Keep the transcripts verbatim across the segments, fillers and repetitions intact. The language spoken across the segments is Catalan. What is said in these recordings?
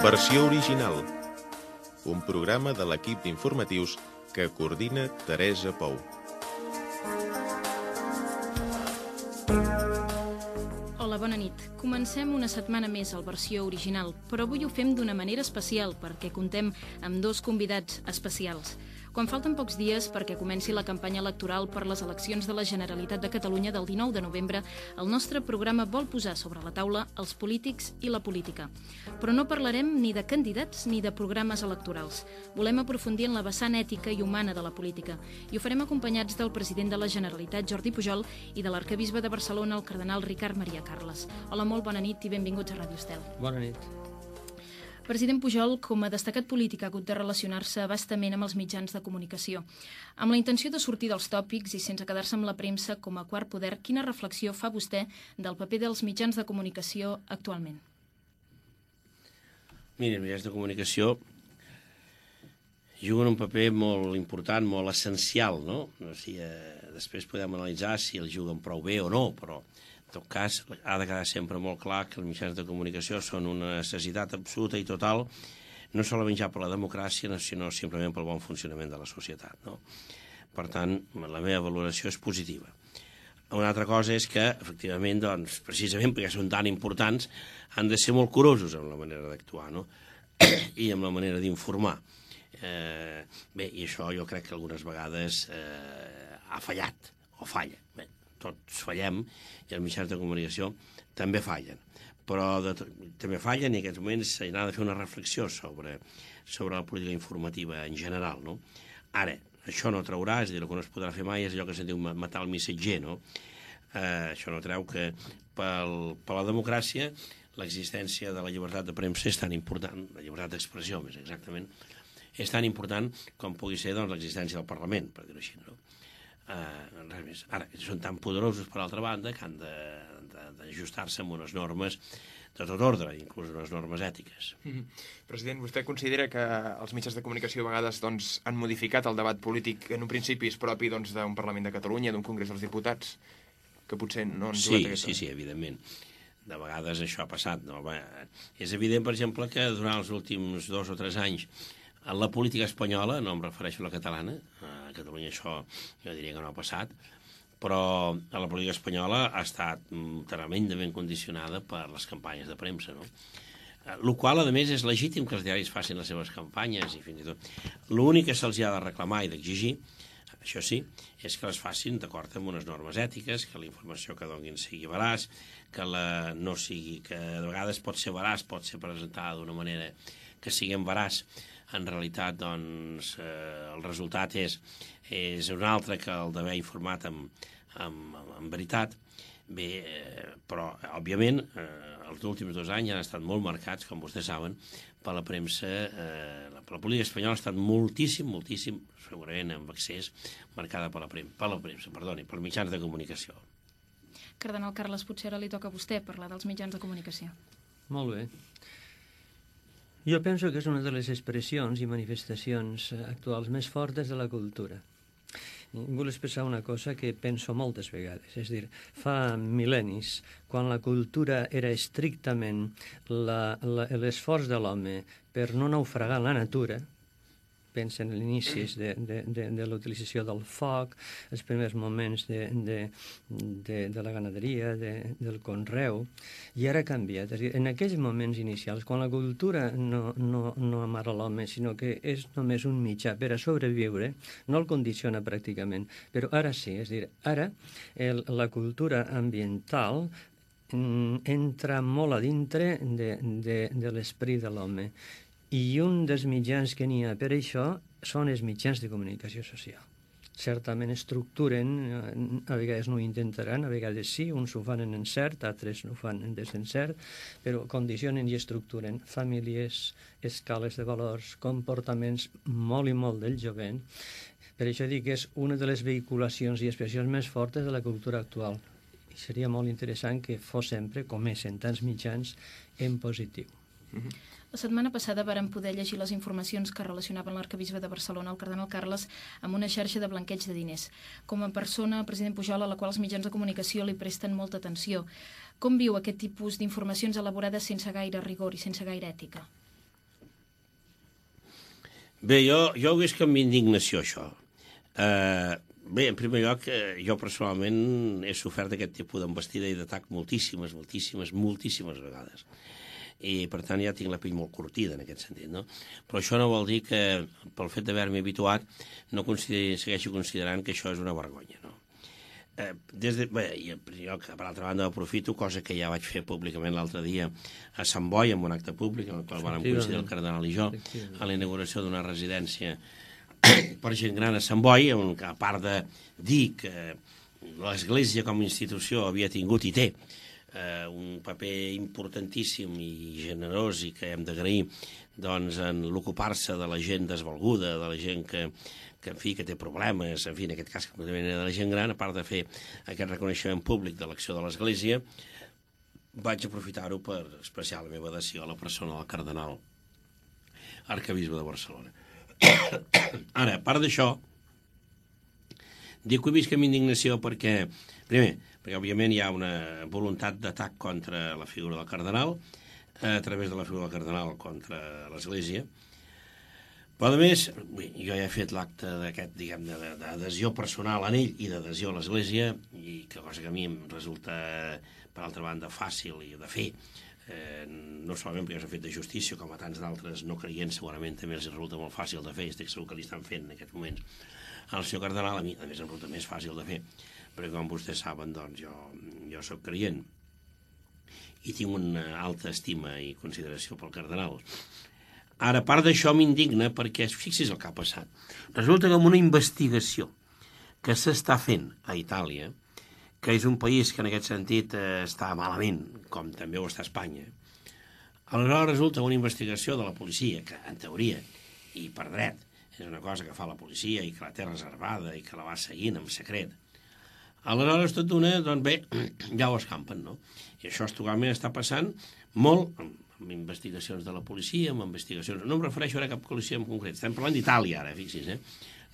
Versió original. Un programa de l'equip d'informatius que coordina Teresa Pou. Hola, bona nit. Comencem una setmana més al Versió original, però avui ho fem d'una manera especial perquè contem amb dos convidats especials. Quan falten pocs dies perquè comenci la campanya electoral per les eleccions de la Generalitat de Catalunya del dinou de novembre, el nostre programa vol posar sobre la taula els polítics i la política. Però no parlarem ni de candidats ni de programes electorals. Volem aprofundir en la vessant ètica i humana de la política i ho farem acompanyats del president de la Generalitat, Jordi Pujol, i de l'arquebisbe de Barcelona, el cardenal Ricard Maria Carles. Hola, molt bona nit i benvinguts a Ràdio Estel. Bona nit. President Pujol, com a destacat polític, ha hagut de relacionar-se bastament amb els mitjans de comunicació. Amb la intenció de sortir dels tòpics i sense quedar-se amb la premsa com a quart poder, quina reflexió fa vostè del paper dels mitjans de comunicació actualment? Mira, els mitjans de comunicació juguen un paper molt important, molt essencial, no? O sigui, eh, després podem analitzar si els juguen prou bé o no, però en tot cas, ha de quedar sempre molt clar que els mitjans de comunicació són una necessitat absoluta i total, no solament ja per la democràcia, sinó simplement pel bon funcionament de la societat, no? Per tant, la meva valoració és positiva. Una altra cosa és que, efectivament, doncs, precisament perquè són tan importants, han de ser molt curosos amb la manera d'actuar, no? I amb la manera d'informar. Eh, bé, i això jo crec que algunes vegades eh, ha fallat, o falla. Bé, tots fallem, i els mitjans de comunicació també fallen. Però de, també fallen i en aquests moments s'ha de fer una reflexió sobre, sobre la política informativa en general, no? Ara, això no traurà, és a dir, el que no es podrà fer mai és allò que se'n diu matar el missatger, no? Eh, això no treu que pel, per la democràcia l'existència de la llibertat de premsa és tan important, la llibertat d'expressió més exactament, és tan important com pugui ser doncs, l'existència del Parlament, per dir-ho així, no? Uh, res més. Ara, són tan poderosos per altra banda que han d'ajustar-se amb unes normes de tot ordre, inclús unes normes ètiques. Mm-hmm. President, vostè considera que els mitjans de comunicació a vegades doncs, han modificat el debat polític en un principi és propi doncs, d'un Parlament de Catalunya, d'un Congrés dels Diputats, que potser no han sí, jugat aquesta... Sí, sí, evidentment. De vegades això ha passat. No? Bé, és evident, per exemple, que durant els últims dos o tres anys en la política espanyola, no em refereixo a la catalana, a Catalunya això jo diria que no ha passat, però a la política espanyola ha estat tremendament condicionada per les campanyes de premsa, no? El qual, a més, és legítim que els diaris facin les seves campanyes i fins i tot. L'únic que se'ls ha de reclamar i d'exigir, això sí, és que les facin d'acord amb unes normes ètiques, que la informació que donin sigui veraç, que la no sigui, que de vegades pot ser veraç, pot ser presentada d'una manera que siguem veraç. En realitat, doncs, eh, el resultat és, és un altre que el d'haver informat amb, amb, amb veritat. Bé, eh, però, òbviament, eh, els últims dos anys han estat molt marcats, com vostès saben, per la premsa. Eh, la, la política espanyola ha estat moltíssim, moltíssim, segurament amb accés, marcada per la premsa, per la premsa, perdoni, per mitjans de comunicació. Cardenal Carles, potser ara li toca a vostè parlar dels mitjans de comunicació. Molt bé. Jo penso que és una de les expressions i manifestacions actuals més fortes de la cultura. I vull expressar una cosa que penso moltes vegades, és a dir, fa mil·lennis, quan la cultura era estrictament l'esforç de l'home per no naufragar la natura, pensa en l'inici de, de, de, de l'utilització del foc, els primers moments de, de, de, de la ganaderia, de, del conreu, i ara ha canviat. És a dir, en aquells moments inicials, quan la cultura no, no, no amara l'home, sinó que és només un mitjà per a sobreviure, no el condiciona pràcticament. Però ara sí, és a dir, ara el, la cultura ambiental entra molt a dintre de, de, de l'esperit de l'home. I un dels mitjans que n'hi ha per això són els mitjans de comunicació social. Certament estructuren, a vegades no ho intentaran, a vegades sí, uns ho fan en encert, altres ho fan en desencert, però condicionen i estructuren famílies, escales de valors, comportaments molt i molt del jovent. Per això dic que és una de les vehiculacions i expressions més fortes de la cultura actual. I seria molt interessant que fos sempre, com és en tants mitjans, en positiu. Mm-hmm. La setmana passada vàrem poder llegir les informacions que relacionaven l'arquebisbe de Barcelona, el cardenal Carles, amb una xarxa de blanqueig de diners. Com a persona, president Pujol, a la qual els mitjans de comunicació li presten molta atenció, com viu aquest tipus d'informacions elaborades sense gaire rigor i sense gaire ètica? Bé, jo, jo ho visc amb indignació, això. Eh, bé, en primer lloc, eh, jo personalment he sofert aquest tipus d'embestida i d'atac moltíssimes, moltíssimes, moltíssimes vegades. I, per tant, ja tinc la pell molt curtida en aquest sentit, no? Però això no vol dir que, pel fet d'haver-m'hi habituat, no consideri, segueixo considerant que això és una vergonya, no? Eh, des de, bé, jo, per altra banda, aprofito, cosa que ja vaig fer públicament l'altre dia a Sant Boi, en un acte públic, en el qual vam coincidir el cardenal i jo, a la inauguració d'una residència per gent gran a Sant Boi, on, a part de dir que l'Església com a institució havia tingut i té eh, un paper importantíssim i generós i que hem d'agrair doncs, en l'ocupar-se de la gent desvalguda, de la gent que, que, en fi, que té problemes, en fi, en aquest cas que de la gent gran, a part de fer aquest reconeixement públic de l'acció de l'Església, vaig aprofitar-ho per expressar la meva adhesió a la persona del cardenal arquebisbe de Barcelona. Ara, a part d'això, dic que ho visc amb indignació perquè, primer, perquè òbviament hi ha una voluntat d'atac contra la figura del cardenal, a través de la figura del cardenal contra l'Església, però a més, jo ja he fet l'acte d'aquest, diguem, d'adhesió personal en ell i d'adhesió a l'Església, i que cosa que a mi em resulta, per altra banda, fàcil i de fer, Eh, no solament perquè s'ha fet de justícia, com a tants d'altres no creients, segurament també els resulta molt fàcil de fer, i estic segur que li estan fent en aquests moments al senyor cardenal, a mi a més em resulta més fàcil de fer, perquè com vostès saben, doncs jo, jo soc creient i tinc una alta estima i consideració pel cardenal. Ara, a part d'això, m'indigna perquè, fixi's el que ha passat, resulta que amb una investigació que s'està fent a Itàlia, que és un país que en aquest sentit eh, està malament, com també ho està Espanya. Aleshores resulta una investigació de la policia, que en teoria, i per dret, és una cosa que fa la policia i que la té reservada i que la va seguint en secret. Aleshores, tot d'una, doncs bé, ja ho escampen, no? I això actualment està passant molt amb, amb investigacions de la policia, amb investigacions... No em refereixo ara a cap policia en concret, estem parlant d'Itàlia ara, fixi's, eh?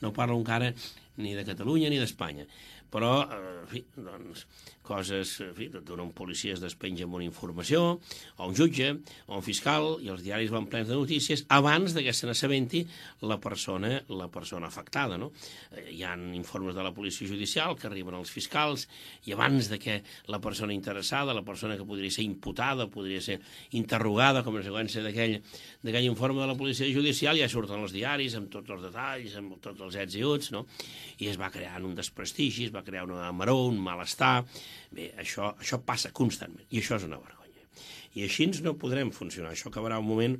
No parlo encara ni de Catalunya ni d'Espanya. Però, en fi, doncs, coses, en fi, d'un policia es despenja amb una informació, o un jutge, o un fiscal, i els diaris van plens de notícies abans que se n'assabenti la persona, la persona afectada, no? Hi ha informes de la policia judicial que arriben als fiscals, i abans de que la persona interessada, la persona que podria ser imputada, podria ser interrogada com a conseqüència d'aquell informe de la policia judicial, ja surten els diaris amb tots els detalls, amb tots els ets i uts, no? I es va creant un desprestigi, es va crear una amaror, un malestar. Bé, això, això passa constantment, i això és una vergonya. I així no podrem funcionar. Això acabarà un moment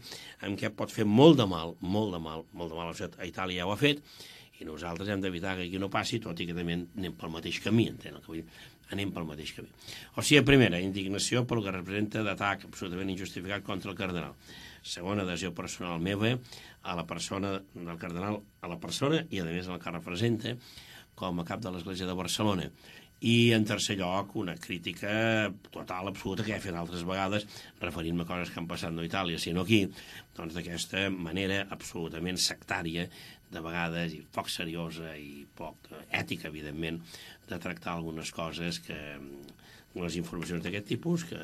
en què pot fer molt de mal, molt de mal, molt de mal. A Itàlia ja ho ha fet, i nosaltres hem d'evitar que aquí no passi, tot i que també anem pel mateix camí, entén el que vull dir? Anem pel mateix camí. O sigui, primera, indignació pel que representa d'atac absolutament injustificat contra el cardenal. Segona, adhesió personal meva a la persona del cardenal, a la persona i, a més, el que representa com a cap de l'Església de Barcelona. I, en tercer lloc, una crítica total, absoluta, que he fet altres vegades, referint-me a coses que han passat no a Itàlia, sinó aquí, doncs d'aquesta manera absolutament sectària, de vegades, i poc seriosa i poc ètica, evidentment, de tractar algunes coses que, les informacions d'aquest tipus, que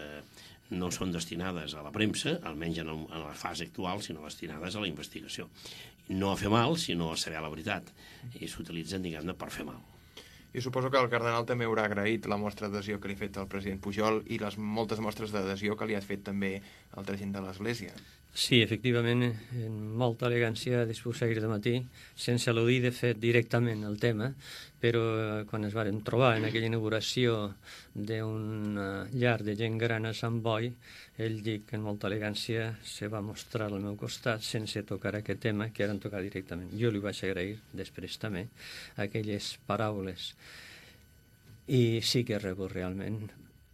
no són destinades a la premsa, almenys en, el, en la fase actual, sinó destinades a la investigació. No a fer mal, sinó a saber la veritat. I s'utilitzen, diguem-ne, per fer mal. I suposo que el cardenal també haurà agraït la mostra d'adhesió que li ha fet el president Pujol i les moltes mostres d'adhesió que li ha fet també altra gent de l'Església. Sí, efectivament, en molta elegància disposar de matí, sense al·ludir, de fet, directament el tema, però quan es varen trobar en aquella inauguració d'un llar de gent gran a Sant Boi, ell dic que en molta elegància se va mostrar al meu costat sense tocar aquest tema que eren tocar directament. Jo li vaig agrair després també aquelles paraules. I sí que he rebut realment.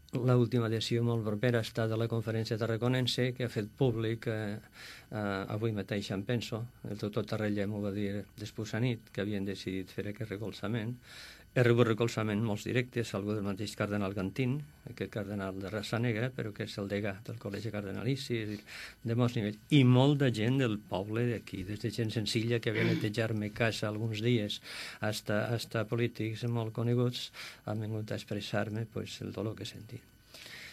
L'última adhesió molt propera ha estat a la conferència tarraconense, que ha fet públic eh, eh, avui mateix, em penso, el doctor Tarrella m'ho va dir després a nit, que havien decidit fer aquest recolzament. He rebut recolzament molts directes, algú del mateix cardenal Gantín, aquest cardenal de raça negra, però que és el degà del Col·legi Cardenalici, de molts nivells, i molt de gent del poble d'aquí, des de gent senzilla que havia netejar-me casa alguns dies, hasta, hasta polítics molt coneguts, han vingut a expressar-me pues, el dolor que sentia.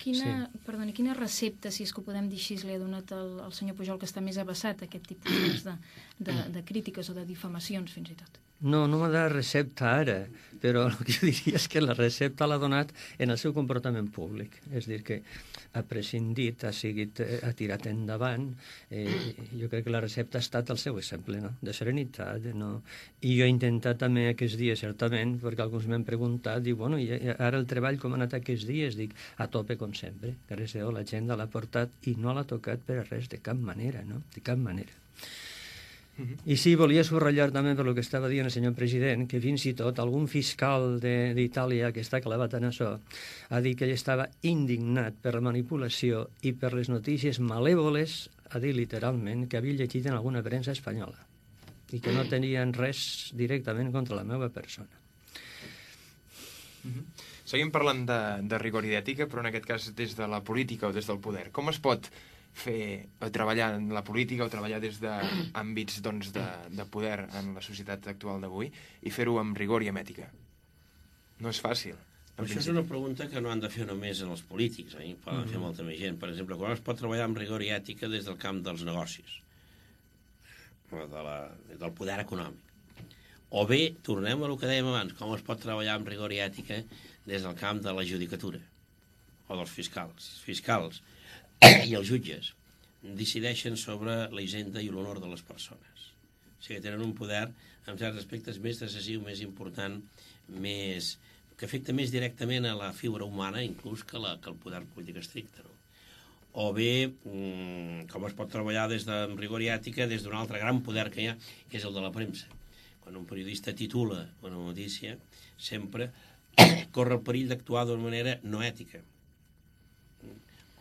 Quina, sí. perdoni, quina recepta, si és que ho podem dir així, li ha donat el, el senyor Pujol, que està més avessat a aquest tipus de, de, de crítiques o de difamacions, fins i tot? No, no m'ha de recepta ara, però el que jo diria és que la recepta l'ha donat en el seu comportament públic. És a dir, que ha prescindit, ha, seguit, ha tirat endavant. Eh, jo crec que la recepta ha estat el seu exemple, no? De serenitat. No? I jo he intentat també aquests dies, certament, perquè alguns m'han preguntat, diu, bueno, i ara el treball com ha anat aquests dies? Dic, a tope com sempre. Gràcies a Déu, l'agenda l'ha portat i no l'ha tocat per a res, de cap manera, no? De cap manera. I sí, volia subratllar també per el que estava dient el senyor president, que fins i tot algun fiscal d'Itàlia que està clavat en això ha dit que ell estava indignat per la manipulació i per les notícies malèvoles, ha dit literalment, que havia llegit en alguna premsa espanyola i que no tenien res directament contra la meva persona. Seguim parlant de, de rigor i d'ètica, però en aquest cas des de la política o des del poder. Com es pot fer, o treballar en la política o treballar des d'àmbits doncs, de, de poder en la societat actual d'avui i fer-ho amb rigor i amb ètica? No és fàcil. Això és una pregunta que no han de fer només en els polítics, eh? Poden mm-hmm. fer molta més gent. Per exemple, com es pot treballar amb rigor i ètica des del camp dels negocis, o de la, del poder econòmic? O bé, tornem a el que dèiem abans, com es pot treballar amb rigor i ètica des del camp de la judicatura o dels fiscals. Els fiscals i els jutges decideixen sobre la hisenda i l'honor de les persones. O sigui, tenen un poder, en certs aspectes, més decisiu, més important, més, que afecta més directament a la figura humana, inclús que, la, que el poder polític estricte. No? O bé, com es pot treballar des de rigor i ètica, des d'un altre gran poder que hi ha, que és el de la premsa. Quan un periodista titula una notícia, sempre corre el perill d'actuar d'una manera no ètica.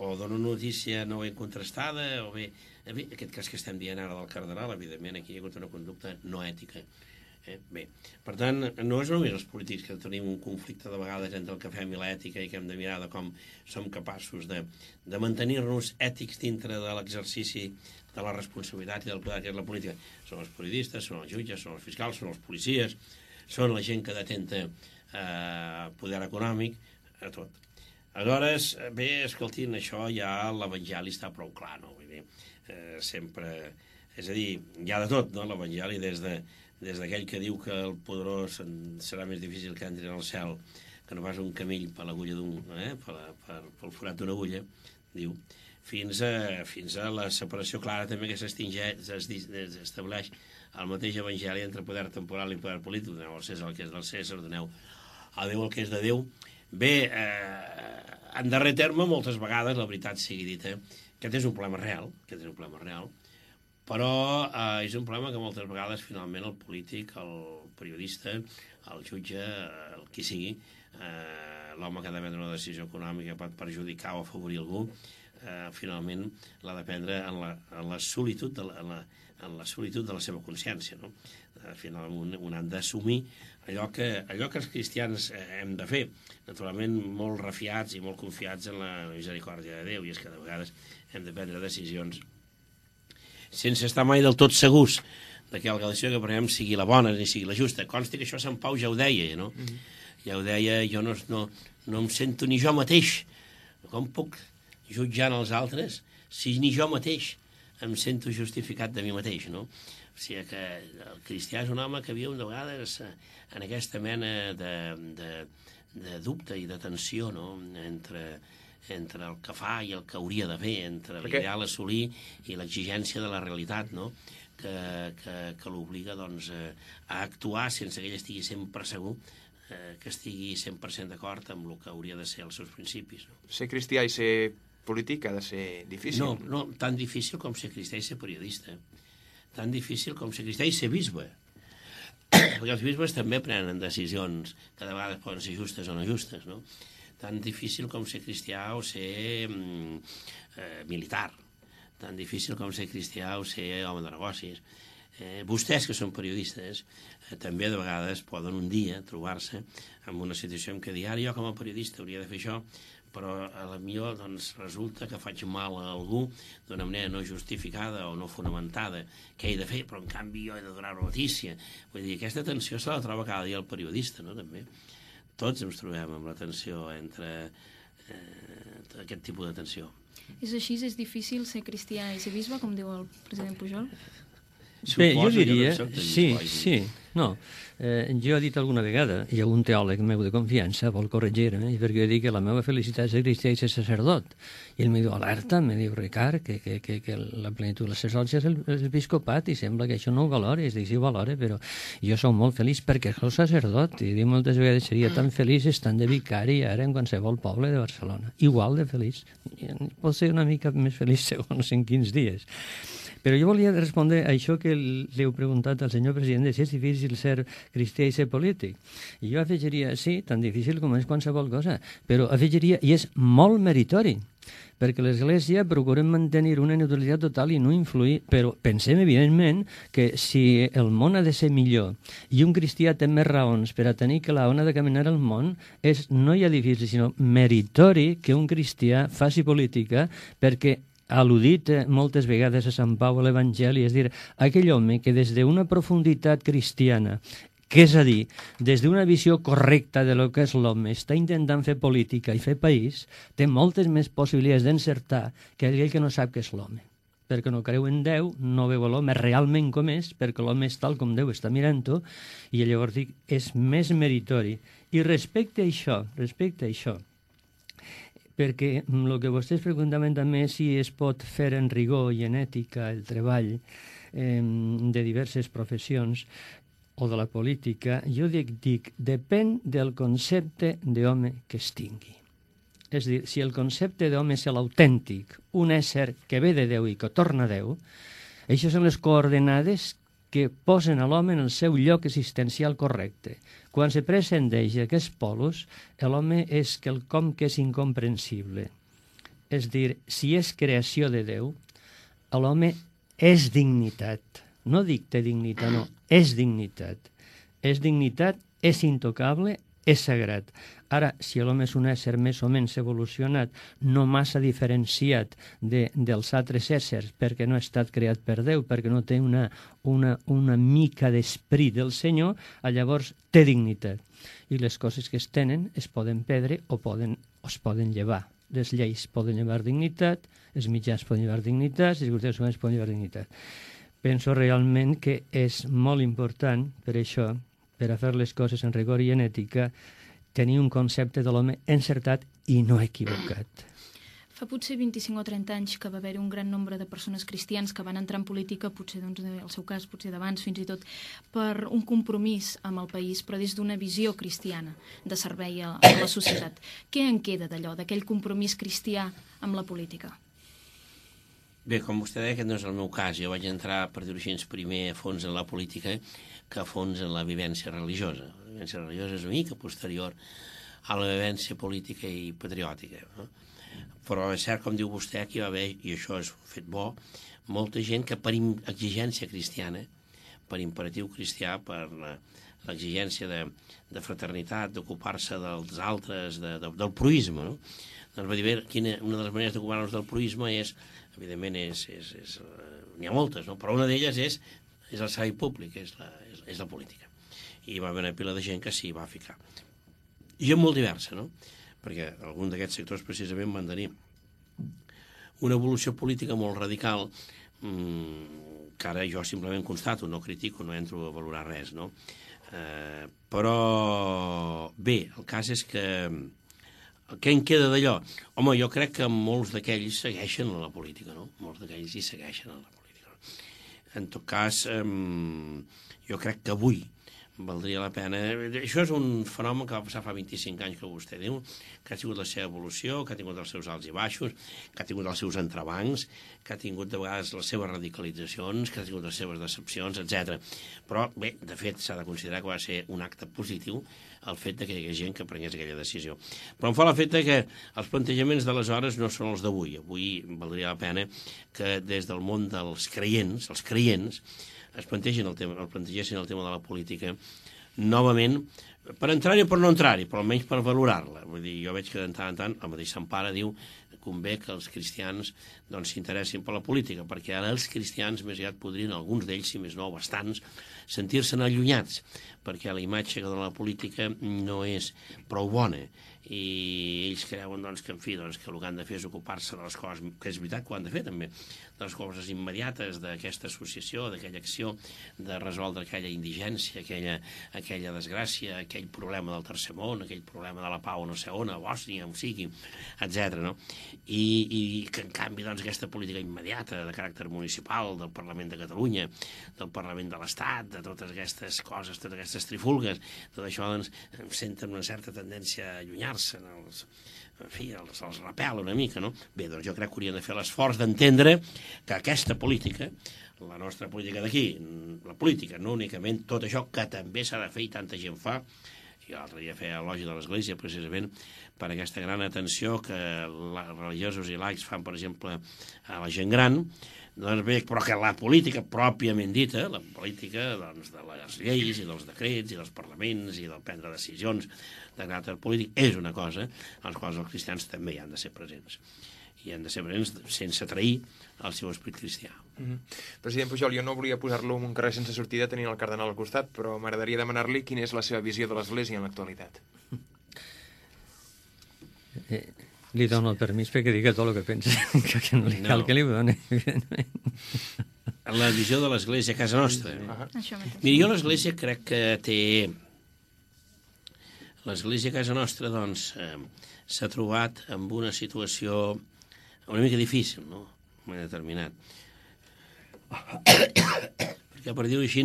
O dona una notícia no ben contrastada, o bé, bé, aquest cas que estem dient ara del cardenal, evidentment, aquí hi ha hagut una conducta no ètica. Eh? Bé, per tant, no és només els polítics que tenim un conflicte de vegades entre el que fem i l'ètica i que hem de mirar de com som capaços de, de mantenir-nos ètics dintre de l'exercici de la responsabilitat i del poder que és la política. Són els periodistes, són els jutges, són els fiscals, són els policies, són la gent que detenta eh, poder econòmic, a tot. Aleshores, bé, escoltin, això ja l'Evangeli està prou clar, no? Vull dir, eh, sempre... És a dir, hi ha de tot, no?, l'Evangeli, des de des d'aquell que diu que el poderós serà més difícil que entri en el cel que no pas un camell per l'agulla d'un... Eh, per, per, pel forat d'una agulla, diu, fins a, fins a la separació clara també que s'estableix el mateix Evangeli entre poder temporal i poder polític. Doneu al César el que és del César, doneu a Déu el que és de Déu. Bé, eh, en darrer terme, moltes vegades, la veritat sigui dita, aquest és un problema real, aquest és un problema real, però eh, és un problema que moltes vegades, finalment, el polític, el periodista, el jutge, el qui sigui, eh, l'home que ha de prendre una decisió econòmica pot perjudicar o afavorir algú, eh, finalment l'ha de prendre en la, en la solitud de la, en la, en la solitud de la seva consciència, no? Eh, finalment, un han d'assumir allò que, allò que els cristians eh, hem de fer, naturalment molt refiats i molt confiats en la misericòrdia de Déu, i és que de vegades hem de prendre decisions sense estar mai del tot segurs de que la decisió que prenem sigui la bona ni sigui la justa. Consti que això Sant Pau ja ho deia, no? Mm-hmm. Ja ho deia, jo no, no, no em sento ni jo mateix. Com puc jutjar els altres si ni jo mateix em sento justificat de mi mateix, no? O sigui que el cristià és un home que viu de vegades en aquesta mena de, de, de dubte i de tensió, no?, entre... entre el que fa i el que hauria de fer, entre l'ideal a assolir i l'exigència de la realitat, no?, que, que, que l'obliga doncs, a actuar sense que ell estigui sempre segur eh, que estigui cent per cent d'acord amb el que hauria de ser els seus principis. No? Ser cristià i ser polític ha de ser difícil. No, no, tan difícil com ser cristià i ser periodista. Tan difícil com ser cristià i ser bisbe. Perquè els bisbes també prenen decisions que de vegades poden ser justes o no justes, no? Tan difícil com ser cristià o ser mm, eh, militar, tan difícil com ser cristià o ser home de negocis. Eh, vostès, que són periodistes, eh, també de vegades poden un dia trobar-se en una situació en què dir, ara jo com a periodista hauria de fer això, però a la millor doncs, resulta que faig mal a algú d'una manera no justificada o no fonamentada, què he de fer, però en canvi jo he de donar una notícia. Vull dir, aquesta tensió se la troba cada dia el periodista, no?, també. Tots ens trobem amb la tensió entre, eh, aquest tipus de tensió. És així, és difícil ser cristià i ser bisbe, com diu el president Pujol? Bé, jo diria, sí, sí, no. Eh, jo he dit alguna vegada, hi ha un teòleg meu de confiança, vol corregir-me, perquè jo dic que la meva felicitat és ser cristià i ser sacerdot. I ell me diu, alerta, me diu, Ricard, que, que, que, que la plenitud de la sacerdotcia és l'episcopat, i sembla que això no ho valores. Dic, sí, ho valore, però jo sóc molt feliç perquè soc sacerdot, i dic moltes vegades seria tan feliç estant de vicari ara en qualsevol poble de Barcelona. Igual de feliç. Pot ser una mica més feliç segons en quins dies. Però jo volia respondre a això que li heu preguntat al senyor president, de si és difícil ser cristià i ser polític. I jo afegiria, sí, tan difícil com és qualsevol cosa, però afegiria, i és molt meritori, perquè l'Església procurem mantenir una neutralitat total i no influir, però pensem, evidentment, que si el món ha de ser millor i un cristià té més raons per a tenir que la ona de caminar al món, és no ja difícil, sinó meritori que un cristià faci política, perquè al·ludit moltes vegades a Sant Pau a l'Evangeli, és dir, aquell home que des d'una profunditat cristiana, que és a dir, des d'una visió correcta de lo que és l'home, està intentant fer política i fer país, té moltes més possibilitats d'encertar que aquell que no sap què és l'home. Perquè no creu en Déu, no veu l'home realment com és, perquè l'home és tal com Déu està mirant-ho, i llavors dic, és més meritori. I respecte a això, respecte a això, perquè el que vostès preguntaven també si es pot fer en rigor i en ètica el treball eh, de diverses professions o de la política, jo dic, dic depèn del concepte d'home que es tingui. És a dir, si el concepte d'home és l'autèntic, un ésser que ve de Déu i que torna a Déu, això són les coordenades que posen a l'home en el seu lloc existencial correcte. Quan se prescindeix d'aquests polos, l'home és quelcom que és incomprensible. És dir, si és creació de Déu, l'home és dignitat. No dic té dignitat, no, és dignitat. És dignitat, és intocable, és sagrat. Ara, si l'home és un ésser més o menys evolucionat, no massa diferenciat de, dels altres éssers, perquè no ha estat creat per Déu, perquè no té una, una, una mica d'esperit del Senyor, llavors té dignitat. I les coses que es tenen es poden perdre o, poden, o es poden llevar. Les lleis poden llevar dignitat, els mitjans poden llevar dignitat, les circumstàncies humanes poden llevar dignitat. Penso realment que és molt important, per això, per a fer les coses en rigor i en ètica, tenir un concepte de l'home encertat i no equivocat. Fa potser vint-i-cinc o trenta anys que va haver-hi un gran nombre de persones cristians que van entrar en política, potser, doncs, en el seu cas, potser d'abans, fins i tot, per un compromís amb el país, però des d'una visió cristiana de servei a, a la societat. Què en queda d'allò, d'aquell compromís cristià amb la política? Bé, com vostè deia, aquest no és el meu cas. Jo vaig entrar, per dir-ho així, primer a fons en la política que a fons en la vivència religiosa. La vivència religiosa és una mica posterior a la vivència política i patriòtica, no? Però és cert, com diu vostè, que hi va haver, i això és un fet bo, molta gent que per exigència cristiana, per imperatiu cristià, per l'exigència de, de fraternitat, d'ocupar-se dels altres, de, de, del proïsme, no? Doncs va dir, bé, quina, una de les maneres d'ocupar-nos del proïsme és, evidentment, és, és, és, n'hi ha moltes, no? Però una d'elles és, és el servei públic, és la, és, és la política. I va haver una pila de gent que s'hi va ficar. I gent molt diversa, no? Perquè algun d'aquests sectors precisament van tenir una evolució política molt radical, mmm, que ara jo simplement constato, no critico, no entro a valorar res, no? Eh, però bé, el cas és que què en queda d'allò? Home, jo crec que molts d'aquells segueixen a la política, no? Molts d'aquells hi segueixen a la política. En tot cas, eh, jo crec que avui valdria la pena. Això és un fenomen que va passar fa vint-i-cinc anys, que vostè diu, que ha tingut la seva evolució, que ha tingut els seus alts i baixos, que ha tingut els seus entrebancs, que ha tingut de vegades les seves radicalitzacions, que ha tingut les seves decepcions, etcètera. Però, bé, de fet, s'ha de considerar que va ser un acte positiu el fet de que hi hagués gent que prengués aquella decisió. Però em fa l'efecte que els plantejaments d'aleshores no són els d'avui. Avui valdria la pena que des del món dels creients, els creients, es plantegin el tema, el plantegessin el tema de la política novament per entrar-hi o per no entrar-hi, però almenys per valorar-la. Vull dir, jo veig que de tant en tant el mateix Sant Pare diu que convé que els cristians doncs, s'interessin per la política, perquè ara els cristians més aviat podrien, alguns d'ells, si més no, bastants, sentir-se'n allunyats, perquè la imatge que dona la política no és prou bona, i ells creuen doncs, que, en fi, doncs, que el que han de fer és ocupar-se de les coses, que és veritat que ho han de fer també, de les coses immediates d'aquesta associació, d'aquella acció de resoldre aquella indigència, aquella, aquella desgràcia, aquell problema del tercer món, aquell problema de la pau no sé on, a Bòsnia, on sigui, etcètera. No? I, I que en canvi doncs, aquesta política immediata de caràcter municipal, del Parlament de Catalunya, del Parlament de l'Estat, de totes aquestes coses, totes aquestes trifulgues, tot això doncs, senten una certa tendència a allunyar-se, els, en fi, els, els repel una mica, no? Bé, doncs jo crec que haurien de fer l'esforç d'entendre que aquesta política, la nostra política d'aquí, la política, no únicament tot això que també s'ha de fer i tanta gent fa, i l'altre dia feia elogi de l'Església precisament per aquesta gran atenció que els religiosos i laics fan, per exemple, a la gent gran, doncs bé, però que la política pròpiament dita, la política doncs, de les lleis i dels decrets i dels parlaments i del prendre decisions de caràcter polític és una cosa en les quals els cristians també hi han de ser presents. I han de ser presents sense trair el seu esperit cristià. Mm-hmm. President Pujol, jo no volia posar-lo en un carrer sense sortida tenint el cardenal al costat, però m'agradaria demanar-li quina és la seva visió de l'Església en l'actualitat. Eh, li dono el permís perquè diga tot el que pensa, que, que no li cal no. que li ho doni, evidentment. La visió de l'Església a casa nostra. Uh-huh. Això mateix. Mira, jo l'Església crec que té... L'Església a casa nostra, doncs, eh, s'ha trobat amb una situació una mica difícil, no?, en un moment determinat. Perquè, per dir-ho així,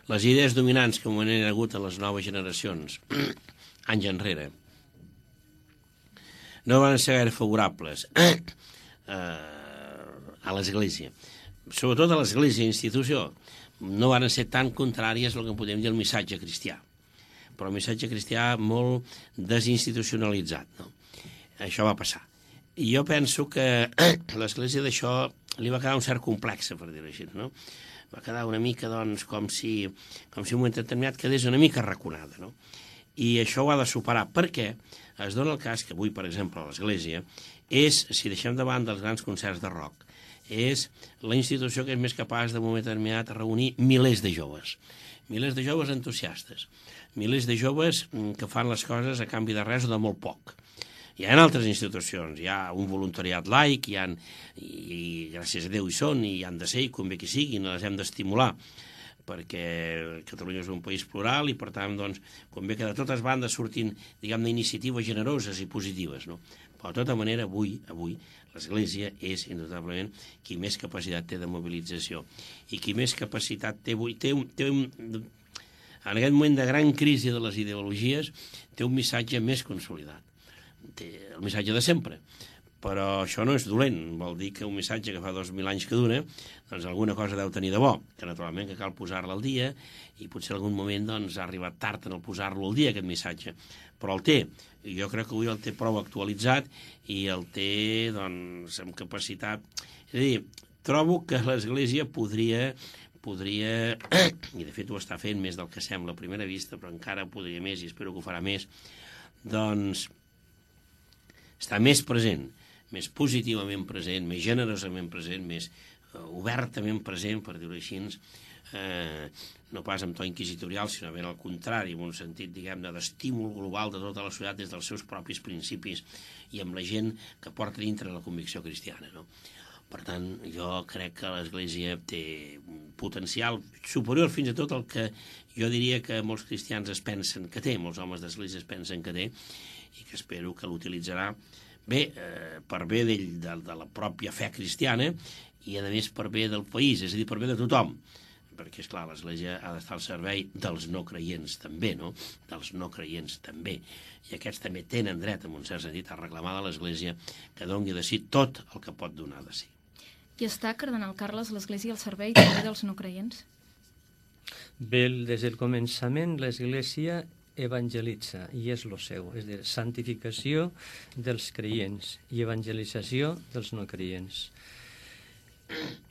les idees dominants que han hagut a les noves generacions, anys enrere, no van ser gaire favorables eh, a l'Església. Sobretot a l'Església, institució, no van ser tan contràries al que podem dir el missatge cristià, però el missatge cristià molt desinstitucionalitzat, no? Això va passar. I jo penso que l'Església d'això li va quedar un cert complex, per dir-ho així, no? Va quedar una mica, doncs, com si, com si un moment determinat quedés una mica arraconada, no? I això ho ha de superar, perquè es dona el cas que avui, per exemple, a l'Església és, si deixem de banda els grans concerts de rock, és la institució que és més capaç de un moment determinat reunir milers de joves, milers de joves entusiastes, milers de joves que fan les coses a canvi de res o de molt poc. Hi ha altres institucions, hi ha un voluntariat laic, hi ha, i, i gràcies a Déu hi són, i hi han de ser, i convé que siguin, les hem d'estimular, perquè Catalunya és un país plural i, per tant, doncs, convé que de totes bandes surtin, diguem-ne, iniciatives generoses i positives, no? Però, de tota manera, avui, avui, l'Església és, indubtablement, qui més capacitat té de mobilització i qui més capacitat té avui, té un... Té un en aquest moment de gran crisi de les ideologies, té un missatge més consolidat. Té el missatge de sempre, però això no és dolent, vol dir que un missatge que fa dos mil anys que dura, doncs alguna cosa deu tenir de bo, que naturalment que cal posar-la al dia, i potser en algun moment doncs, ha arribat tard en el posar-lo al dia, aquest missatge, però el té, i jo crec que avui el té prou actualitzat i el té doncs, amb capacitat. És a dir, trobo que l'Església podria, podria, i de fet ho està fent més del que sembla a primera vista, però encara podria més, i espero que ho farà més, doncs està més present, més positivament present, més generosament present, més uh, obertament present, per dir-ho així, eh, no pas amb to inquisitorial, sinó ben al contrari, en un sentit, diguem-ne, d'estímul global de tota la societat des dels seus propis principis i amb la gent que porta dintre la convicció cristiana, no? Per tant, jo crec que l'Església té un potencial superior fins a tot el que jo diria que molts cristians es pensen que té, molts homes d'Església es pensen que té, i que espero que l'utilitzarà bé, eh, per bé de, de, de la pròpia fe cristiana i, a més, per bé del país, és a dir, per bé de tothom. Perquè, esclar, l'Església ha d'estar al servei dels no creients també, no? Dels no creients també. I aquests també tenen dret, en un cert sentit, a reclamar de l'Església que doni de si tot el que pot donar de si. I està, cardenal Carles, l'Església al servei també dels no creients? Bé, des del començament l'Església evangelitza, i és lo seu, és a dir, santificació dels creients i evangelització dels no creients.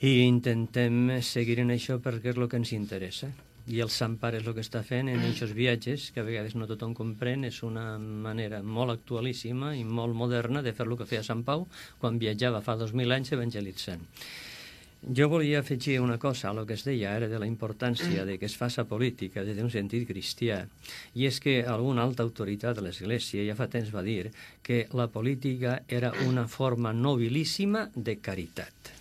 I intentem seguir en això perquè és el que ens interessa. I el Sant Pare és el que està fent en aquests viatges, que a vegades no tothom comprèn, és una manera molt actualíssima i molt moderna de fer el que feia Sant Pau quan viatjava fa dos mil anys evangelitzant. Jo volia afegir una cosa a lo que es deia ara de la importància de que es faça política des d'un sentit cristià, i és que alguna alta autoritat de l'Església ja fa temps va dir que la política era una forma nobilíssima de caritat.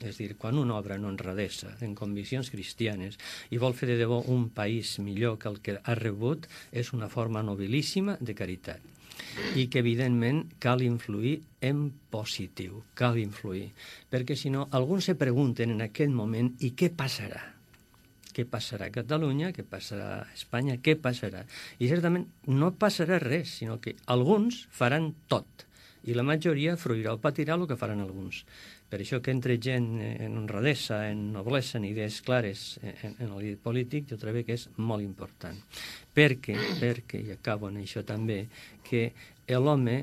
És a dir, quan un obra en honradesa, en conviccions cristianes, i vol fer de debò un país millor que el que ha rebut, és una forma nobilíssima de caritat. I que, evidentment, cal influir en positiu, cal influir. Perquè, si no, alguns se pregunten en aquest moment i què passarà? Què passarà a Catalunya? Què passarà a Espanya? Què passarà? I, certament, no passarà res, sinó que alguns faran tot. I la majoria fruirà o patirà el que faran alguns. Per això que entre gent en honradesa, en noblesa, en idees clares en, en el polític, jo trobo que és molt important. Perquè, perquè, i acabo en això també, que l'home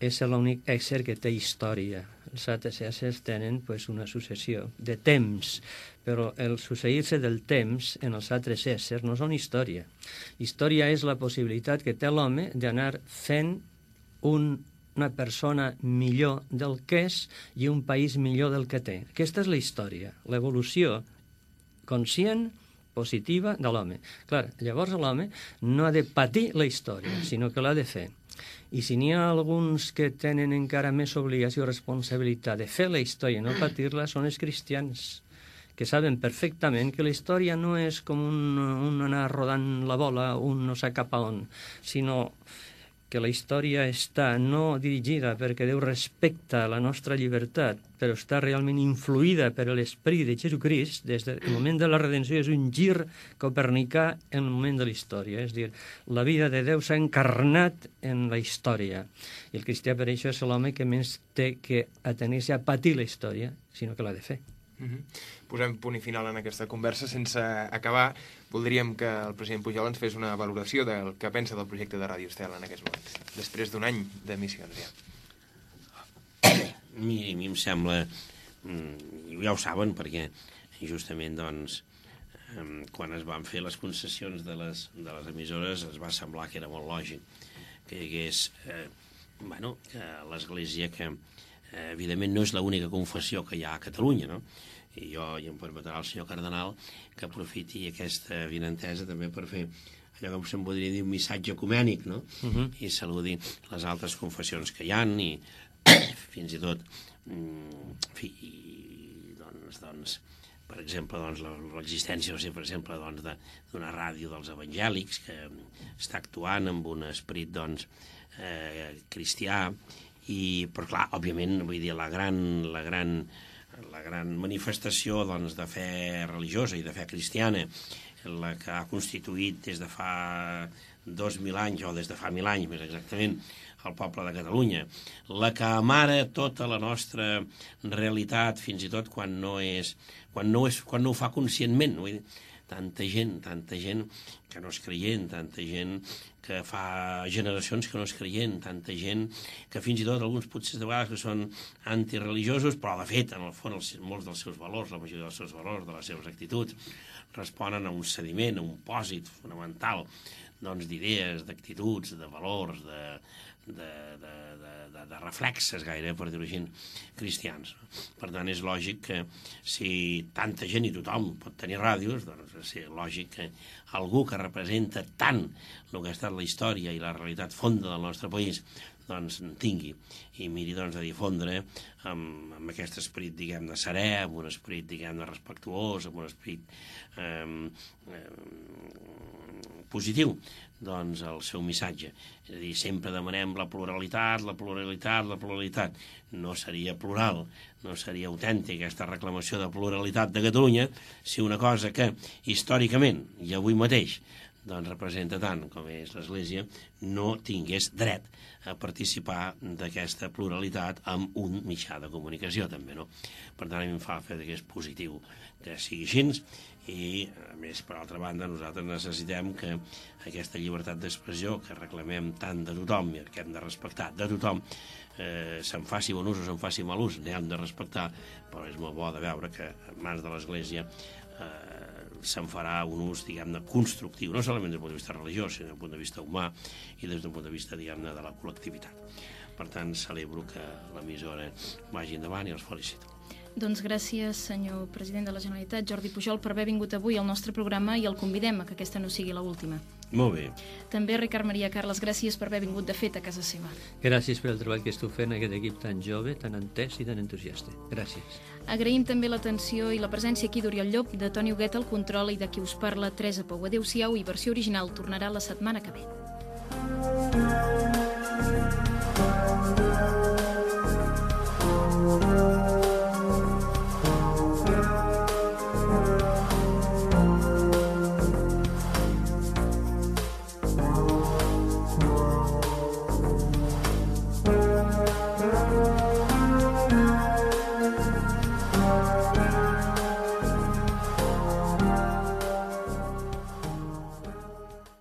és l'únic ésser que té història. Els altres éssers tenen pues, una successió de temps, però el succeir-se del temps en els altres éssers no són història. Història és la possibilitat que té l'home d'anar fent un una persona millor del que és i un país millor del que té. Aquesta és la història, l'evolució conscient, positiva de l'home. Clar, llavors l'home no ha de patir la història, sinó que l'ha de fer. I si n'hi ha alguns que tenen encara més obligació i responsabilitat de fer la història i no patir-la, són els cristians, que saben perfectament que la història no és com un, un anar rodant la bola, un no sap cap a on, sinó que la història està no dirigida perquè Déu respecta la nostra llibertat, però està realment influïda per l'esperit de Jesucrist. Des del moment de la redenció és un gir copernicà en el moment de la història. És a dir, la vida de Déu s'ha encarnat en la història. I el cristià per això és l'home que més té que atenir-se a patir la història, sinó que l'ha de fer. Mm-hmm. Posem punt i final en aquesta conversa. Sense acabar, voldríem que el president Pujol ens fes una valoració del que pensa del projecte de Ràdio Estel en aquests moments, després d'un any d'emissions ja. A mi, a mi em sembla, ja ho saben, perquè justament doncs, quan es van fer les concessions de les, de les emissores es va semblar que era molt lògic que hi hagués eh, bueno, que l'Església, que eh, evidentment no és l'única confessió que hi ha a Catalunya, no? I jo, i em permetrà el senyor cardenal, que aprofiti aquesta vinentesa també per fer allò que se'n podria dir un missatge ecumènic, no? Uh-huh. I saludi les altres confessions que hi ha, i fins i tot en fi, i, doncs, doncs, per exemple, doncs, l'existència, per exemple, doncs, d'una ràdio dels evangèlics que està actuant amb un esperit doncs, eh, cristià, i, però clar, òbviament, vull dir, la gran, la gran la gran manifestació doncs, de fe religiosa i de fe cristiana, la que ha constituït des de fa dos mil anys, o des de fa mil anys més exactament, el poble de Catalunya, la que amara tota la nostra realitat, fins i tot quan no és, quan no, és, quan no ho fa conscientment. Vull dir, tanta gent, tanta gent que no és creient, tanta gent que fa generacions que no és creient, tanta gent que fins i tot alguns potser de vegades que són antireligiosos, però de fet, en el fons, molts dels seus valors, la majoria dels seus valors, de les seves actituds, responen a un sediment, a un pòsit fonamental doncs, d'idees, d'actituds, de valors, de, de, de, de, de, de reflexes gaire, per dir-ho així, cristians. Per tant, és lògic que si tanta gent i tothom pot tenir ràdios, doncs és lògic que algú que representa tant el que ha estat la història i la realitat fonda del nostre país doncs tingui i miri doncs de difondre amb, amb aquest esperit, diguem, de serè, amb un esperit, diguem, de respectuós, amb un esperit eh, eh, positiu, doncs el seu missatge. És a dir, sempre demanem la pluralitat, la pluralitat, la pluralitat. No seria plural, no seria autèntica aquesta reclamació de pluralitat de Catalunya si una cosa que històricament i avui mateix doncs representa tant com és l'Església, no tingués dret a participar d'aquesta pluralitat amb un mitjà de comunicació, també, no? Per tant, a mi em fa fer que és positiu que sigui així, i, a més, per altra banda, nosaltres necessitem que aquesta llibertat d'expressió que reclamem tant de tothom i que hem de respectar de tothom, eh, se'n faci bon ús o se'n faci mal ús, n'hem de respectar, però és molt bo de veure que en mans de l'Església eh, se'n farà un ús, diguem-ne, constructiu, no solament des del punt de vista religiós, sinó des del punt de vista humà i des del punt de vista, diguem-ne, de la col·lectivitat. Per tant, celebro que l'emissora vagi endavant i els felicito. Doncs gràcies, senyor president de la Generalitat, Jordi Pujol, per haver vingut avui al nostre programa i el convidem a que aquesta no sigui l'última. Molt bé. També Ricard Maria Carles, gràcies per haver vingut de fet a casa seva. Gràcies pel treball que esteu fent, aquest equip tan jove, tan entès i tan entusiasta. Gràcies. Agraïm també l'atenció i la presència aquí d'Oriol Llop, de Toni Huguet al control i de qui us parla, Teresa Pou. Adéu-siau i versió original tornarà la setmana que ve.